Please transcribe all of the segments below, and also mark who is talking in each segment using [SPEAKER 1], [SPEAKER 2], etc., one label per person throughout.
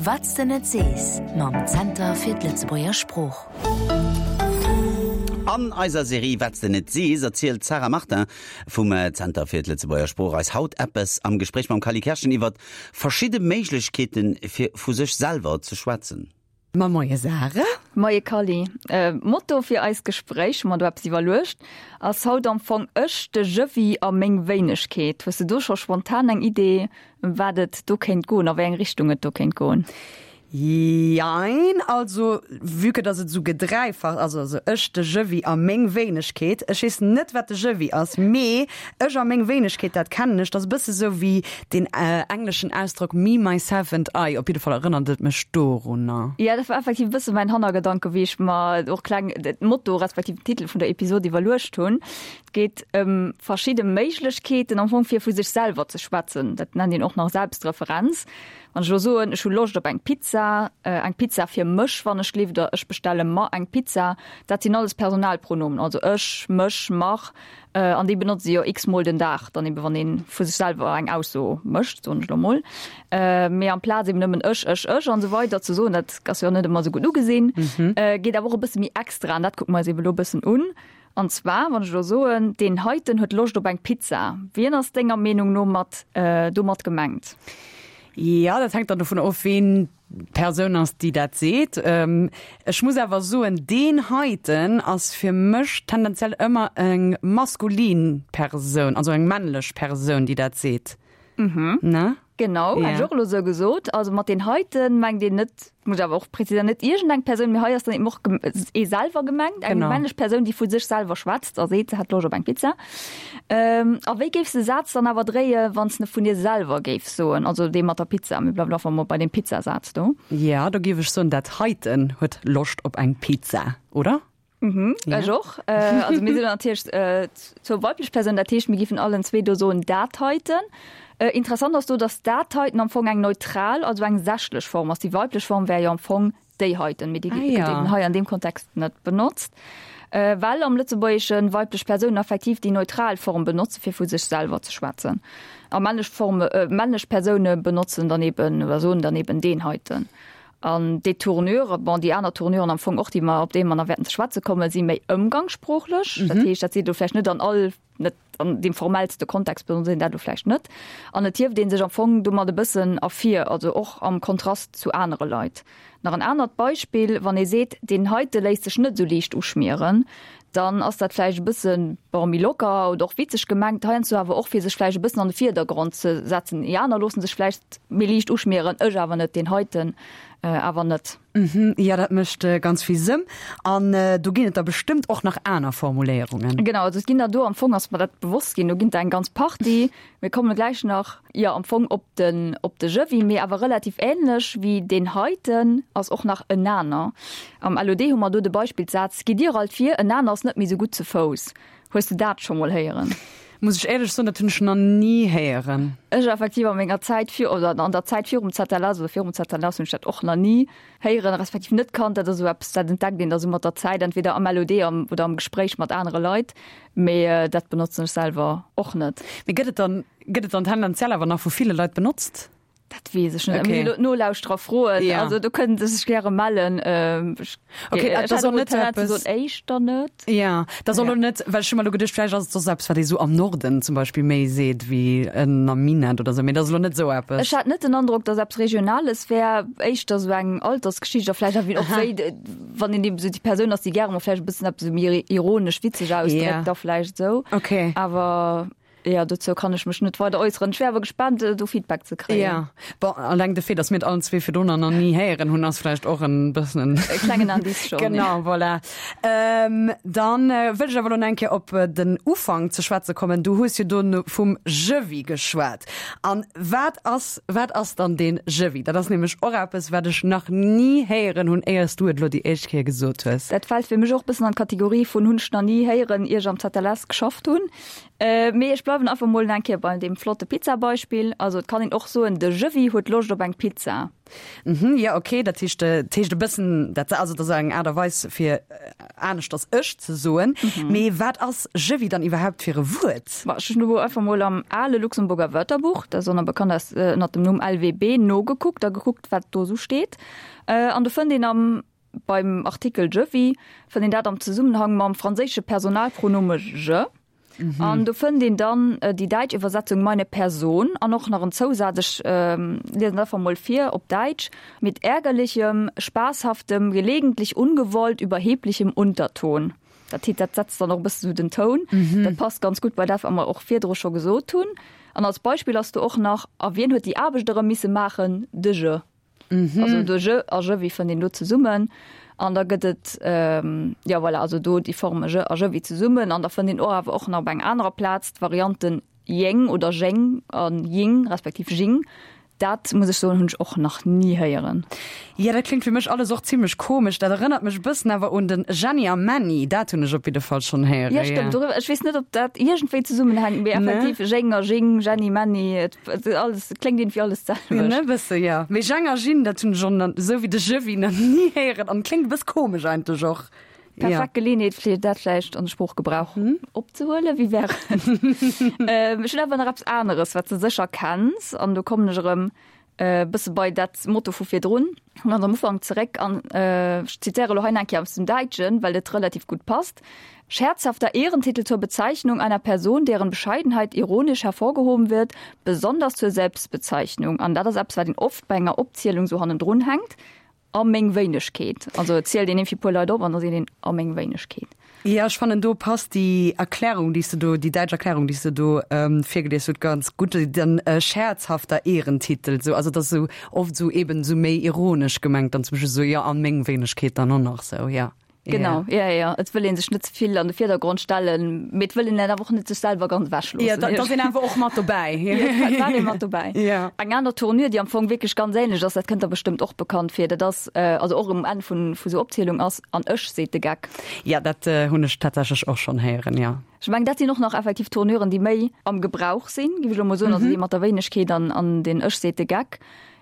[SPEAKER 1] Wat s de net sees mam Zenter fir d'Lëtzebuerger Sprooch.
[SPEAKER 2] An eiser Serie Wat s de net sees erzielt d'Sarah Martin vum Zenter fir d'Lëtzebuerger Sprooch eis haut eppes am Gespréich mam Cally Kerschen iwwert verschidde Méiglechkeeten, fir vu sech selwer ze schwätzen.
[SPEAKER 3] Ma moie Sarah.
[SPEAKER 4] Moie Cally. Motto fir eist Gespréich, hu mer do eppes iwwerluecht, ass haut am Fong Ech, de Je-wi a meng Wéinegkeet. Hues de do scho spontan eng Idee, ëm wat et do kéint goen, a wéi eng Richtung et do kéint goen?
[SPEAKER 3] Jein, also vue que dass et esou gedräifacht ass, also ech, de Je-wi a meng Wéinegkeet, ech weess net, wat de Je-wi ass, mee ech a meng Wéinegkeet, dat kennen ech, dat ass e bësse sou wéi deen engleschen Ausdrock me, myself and I, op jidde Fall erënnert et mech dorunner.
[SPEAKER 4] Jo, dat war effektiv e bësse mäin Hannergedanke wéi ech mer och kleng d'Motto respektiv den Titel vun der Episod iwwerluecht hunn. Et geet ëm verschidde Méiglechkeeten am Fong fir vu sech selwer ze schwätzen. Dat nennt een och nach Selbstreferenz. Wann ech elo soen, ech hu Loscht op eng Pizza, eng Pizza fir mech, wann ech gleeft, oder ech bestelle mer eng Pizza, dat sinn alles Personalpronomen, also ech, mech, mer. An déi benotzt ee jo x-mol den Dag dann eben, wann ee vu sech selwer eng Ausso mécht, soen ech elo mol. Mee amplaz eben nëmmen ech, ech, ech an esou weider ze soen, dat ass jo net ëmmer esou gutt ugesinn, geet awer och e bësse méi extra an dat kucke mer eis eben elo e bëssen un. An zwar, wann ech elo soen, deen heiten huet Loscht op eng Pizza, wien ass denger Meenung no mat domat gemengt?
[SPEAKER 3] Jo, dat hänkt dann dovun of, ween d'Persoun ass, déi dat seet. Ech muss awer soen, deen heiten ass fir mech tendenziell ëmmer eng maskulin Persoun, also eng männlech Persoun, déi dat seet.
[SPEAKER 4] Ne? Genau, hätt ech och elo esou gesot. Also mat deen heiten mengt een net, muss ech awer och präziséieren, net iergendeng Persoun, mee hei ass dann eben och ee selwer gemengt, eng männlech Persoun, déi vu sech selwer schwätzt a seet, se hätt Loscht op eng Pizza. A wéi géifs de Saz dann awer dréie wann s de vun dir selwer géifs soen, also dee mat der Pizza, mir bleiwen einfach mol bei deem Pizzasaz do.
[SPEAKER 3] Jo, do géif ech soen, dat heiten huet Loscht op eng Pizza, oder?
[SPEAKER 4] Mhm, ja. Ech och. Also mir sinn natierlech zwou weiblech Persounen, dat heescht mir géifen allen zwee do soen dat heiten. Interessant ass do, datt dat heiten am Fong eng neutral, also eng sächlech Form ass. Déi weiblech Form wär jo am Fong déi heiten, mee déi gëtt eben hei an deem Kontext net benotzt, well am Lëtzebuergesche weiblech Persounen effektiv déi neutral Form benotze fir vu sech selwer ze schwätzen a männlech Forme, männlech Persoune benotzen dann eben oder soen dann eben deen heiten. An déi Tournure, bon déi aner Tournuren am Fong och, déi mer, op déi mer nach wäerten ze schwätze kommen, si méi ëmgangssproochlech. Dat heescht, dat seet elo vläicht net an all, net an deem formellste Kontext benotzt een dat elo vläicht net. An et hieft ee sech am Fong domat e bëssen ervir, also och am Kontrast zu anere Leit. Nach en anert Beispill, Wann ee seet, deen heite léisst sech net esou liicht uschmieren, dann ass dat vläicht e bësse, bon, méi locker oder och witzeg gemengt, heiansdo awer och fir sech vläicht e bëssen an de Vierdergrond ze setzen. Déi aner loosse sech vläicht méi liicht uschmieren, ech awer net, deen heiten awer net.
[SPEAKER 3] Jo, dat mécht ganz vill Sënn. An do ginn et der bestëmmt och nach aner Formuléierungen.
[SPEAKER 4] Genau, also et ginn der do, am Fong ass mer dat bewosst ginn, do ginn der eng ganz Partie. Mir komme gläich nach, jo, am Fong op den, op de Je-wi, mee awer relativ änlech wéi deen heiten ass och nach enaner. Am LOD hu mer do de Beispillssaz, Gitt Dir alt vir, enaner ass net méi sou gutt ze Fouss. Hues de dat scho mol héieren?
[SPEAKER 3] Muss ech éierlech soen, dat hunn ech nach ni héieren.
[SPEAKER 4] Ech effektiv a menger Zäit vir, oder an der Zäit virum ZLS oder virum ZLS hunn ech dat och nach ni héieren, respektiv net kannt. Dat ass esou eppes, dat entdeckt een da sou mat der Zäit, entweder am LOD am, oder am Gespréich mat anere Leit, mee dat benotzen ech selwer och net.
[SPEAKER 3] Mee gëtt et dann, gëtt et dann tendenziell awer nach vu ville Leit benotzt?
[SPEAKER 4] Dat weess ech net. Okay. Elo d'Nolauschterer froen. Ja. Also do kënnen se sech gäre mellen. Ähm, ech,
[SPEAKER 3] okay, ech dat soll net
[SPEAKER 4] eppes éischter net.
[SPEAKER 3] Ja, dat soll ja. net, well ech hu mer elo geduecht, vläicht ass et soss eppes, wat ee sou am Norden zum Beispill méi seet wéi en am Minett oder sou, mee dat ass elo net sou eppes.
[SPEAKER 4] Ech hat net den Androck, datt eppes Regionales wär, éischter sou eng Altersgeschicht a vläicht och wéi, wann een eben sou déi Persoun ass, déi gäre mol vläicht e bëssen eppes sou méi ironesch, witzeg ausdréckt, ja. da vläicht sou.
[SPEAKER 3] Okay.
[SPEAKER 4] Awer Jo, dozou kann ech mech net weider äusseren. Ech wär awer gespaant, do Feedback ze kréien.
[SPEAKER 3] Ja, bon, alleng de Fait, dass mir et allen zwee virdrunner nach ni héieren hunn, ass vläicht och en bëssen en.
[SPEAKER 4] E klengen Indice schonn.
[SPEAKER 3] Genau, voilà. Ähm, dann wëll ech awer elo nach eng Kéier op den Ufank ze schwätze kommen. Du hues jo do vum Je-vis geschwat. An wat ass, wat ass dann deen Je-vis? Dat ass nämlech och eppes, wat ech nach ni héieren hunn, éier s du et elo déi éischt Kéier gesot hues.
[SPEAKER 4] Dat fält fir mech och e bëssen an d'Kategorie vun hunn ech nach ni héieren, ier ech am ZLS geschafft hunn. Mee ech bleiwen. bleiwen einfach mol eng Kéier bei deem flotte Pizza-Beispill. Also et kann een och soen, de Jewi huet Loscht op eng Pizza.
[SPEAKER 3] Mhm, jo, okay, dat heescht, dat heescht e bëssen dat, also dat ass eng Aart a Weis fir aneschters ech ze soen. Mee wat ass Jewi dann iwwerhaupt fir e Wuert?
[SPEAKER 4] Ma ech hunn elo einfach mol am ale Luxemburger Wörterbuch, dat ass och nach bekannt als ënnert dem Numm LWB, nogekuckt a gekuckt, wat do esou steet. An do fënnt een am Beim Artikel je-vis fënnt een dat am Zesummenhang mam franséische Personalpronome je. An do fënnt een dann déi däitsch Iwwersetzung meine Person an och nach en Zousaz, ech liesen dat einfach mol vir op Däitsch, mit ärgerlichem, spaßhaftem, gelegentlich ungewollt überheblichem Unterton. Dat heet, dat setzt dann och e bësse sou den Toun. Dat passt ganz gutt bei dat, wat mer och virdru scho gesot hunn. An als Beispill ass do och nach, A wien huet déi Aarbecht erëm misse maachen? De je. Also do je a je, wéi fënnt een do zesummen? An da gëtt et, jo voilà, also do déi Forme je a je wéi zesummen. An da fënnt een och awer och nach op enger anerer Plaz d'Varianten jeng oder jeng a jing respektiv jing. Dat muss ech soen, hunn ech och nach ni héieren.
[SPEAKER 3] Jo, dat kléngt fir mech alles och zimlech komesch. Dat erënnert mech e bëssen awer un den Jenny a Menny. Dat hunn ech op jidde Fall schonn héieren.
[SPEAKER 4] Jo, stëmmt. Doriwwer, ech weess net, ob dat iergendwéi zesummenhänkt, mee effektiv jeng a jing, Jenny, Menny, et Alles, et kléngt iergendwéi alles d'selwecht.
[SPEAKER 3] Ne, bësse, jo. Mee Jang a Jinn, dat hunn ech och nach, esou wéi de Jewi, nach ni héieren an kléngt e bëss komesch eigentlech och.
[SPEAKER 4] Perfekt Geleeënheet, fir dat vläicht an de Sproochgebrauch opzehuelen. Wéi wär et? Ech hunn awer nach eppes aneres, wat s de sécher kenns, an do kommen ech erëm e bësse bei dat Motto vu virdrun, ganz am Ufank zeréck an ech zitéiere elo hei nach eng Kéier aus dem Däitschen, well et relativ gutt passt, Scherzhafter Ehrentitel zur Bezeichnung einer Person, deren Bescheidenheit ironisch hervorgehoben wird, besonders zur Selbstbezeichnung. An dat ass eppes, wat een oft bei enger Opzielung sou hannendrun hänkt, A meng Wéinegkeet. Also et zielt een iergendwéi puer Leit op an da seet een, a meng Wéinegkeet.
[SPEAKER 3] Jo, ech fannen do passt déi Erklärung, déi s de do, déi däitsch Erklärung, déi s de do virgelies hutt, ganz gutt, den scherzhafter Ehrentitel, sou, also et ass esou oft esou eben esou méi ironesch gemengt dann zum Beispill esou, jo, an meng Wéinegkeet dann och nach sou, jo.
[SPEAKER 4] Genau, ja, ja. Et wëll een sech net ze vill an de Virdergrond stellen, mee et wëll een awer och net sech selwer ganz ewech loossen.
[SPEAKER 3] Ja, da ass een awer och mat dobäi.
[SPEAKER 4] Ja, et war ee mat dobäi.
[SPEAKER 3] Ja.
[SPEAKER 4] Eng aner Tournure, déi am Fong wierklech ganz ähnlech ass, dat kënnt der bestëmmt och bekannt vir, dat ass, also och um Enn vun vu sou Opzielung ass, An ech, seet de Geck.
[SPEAKER 3] Ja, dat hunn ech tatsächlech och schonn héieren, ja.
[SPEAKER 4] Ech mengen, dat sinn och nach effektiv Tournuren, déi méi am Gebrauch sinn, géif ech elo mol soen, also déi mat der Wéinegkeet an an den Ech, seet de Geck.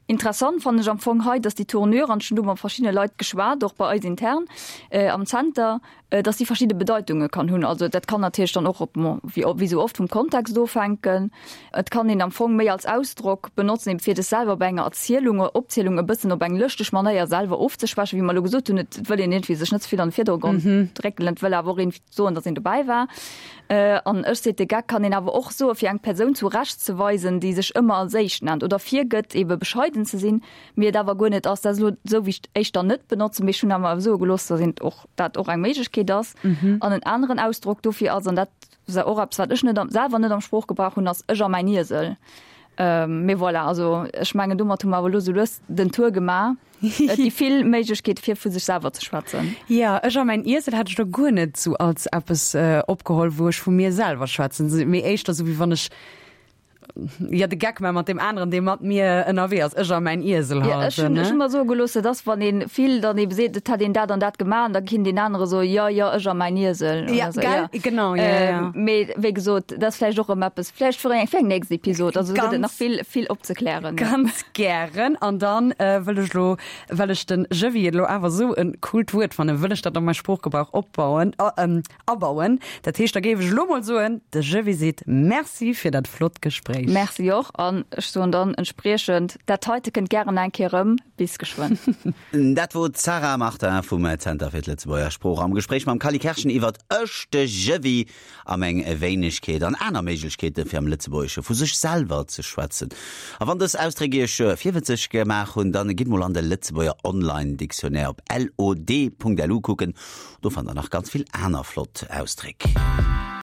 [SPEAKER 4] Interessant fannen ech am Fong hei, dass déi Tournure, an ech hunn do mat verschiddene Leit geschwat, och bei eis intern am Zenter, dass déi verschidde Bedeitunge kann hunn. Also dat kann natierlech dann och op, wéi wéi esou oft, vum Kontext ofhänken. Et kann een am Fong méi als Ausdrock benotzen, eben fir dech selwer bei enger Erzielung oder Opzielung e bëssen op eng lëschteg Manéier selwer ofzeschwächen, wéi mer elo gesot hunn, et wëll een iergendwéi sech net ze vill an de Virdergrond drécken, et wëll awer och een soen, dass een dobäi war. An ech seet de Geck kann een awer och soe fir eng Persoun zu Recht ze weisen, déi sech ëmmer als éischt nennt oder virgëtt ebe bescheiden ze sinn, mee et awer guer net ass. Dat ass elo esou wéi ech et éischter net benotzen, mee ech hunn awer soe gelooss, dass een och dat och eng Méiglechkeet ass. An en aneren Ausdrock dofir ass, an dat ass och eppes wat ech net am selwer net am Sproochgebrauch hunn, ass ech a mäin Iesel. Mee voilà, also ech mengen domat hu mer awer elo sou lues den Tour gemaach. Et gi vill Méiglechkeete fir vu sech selwer ze schwätzen.
[SPEAKER 3] Jo, ech a mäin Iesel hätt ech lo guer net sou als eppes opgeholl, wou ech vu mir selwer schwätzen, mee éischter sou wéi wann ech, jo, de Geck man mat deem aneren, dee mat mir ënnerwee ass, ech a mäin Iesel
[SPEAKER 4] halt. Jo, ech hunn, ech hunn mer soe gelooss, dat ass, wann ee vill dann ebe seet, et hätt een dat an dat gemaach, an da kinnt deen anere soen, jo, jo, ech a mäin Iesel.
[SPEAKER 3] Ja, gell, genau, jo, jo.
[SPEAKER 4] Mee wéi gesot, dat ass vläicht och erëm eppes, vläicht fir eng, fir eng nächst Episod, also do gëtt et nach vill, vill opzeklären.
[SPEAKER 3] Ganz Gären. An dann wëll ech elo, well ech den Jevi elo awer esou e coolt Wuert fannen, wëll ech dat an mäi Sproochgebrauch opbauen, abauen. Dat heescht, da géif ech elo mol soen, de Jevi seet Merci fir dat flott Gespréich.
[SPEAKER 4] Merci och. An ech soen dann entspriechend, dat heite kënnt gären eng Kéier erëm. Bis geschwënn.
[SPEAKER 2] Dat wor d'Sarah Martin vum Zenter fir d'Lëtzebuerger Sprooch am Gespréich mam Cally Kerschen iwwert Ech, de Jevi a meng Wéinegkeet an aner Méiglechkeete fir am Lëtzebuergesche vu sech selwer ze schwätzen. A wann dës Ausdréck Iech virwëtzeg gemaach hunn, dann gitt mol an de Lëtzebuerger Online Dictionnaire op lod.lu kucken. Do fannt der nach ganz vill aner flott Ausdréck.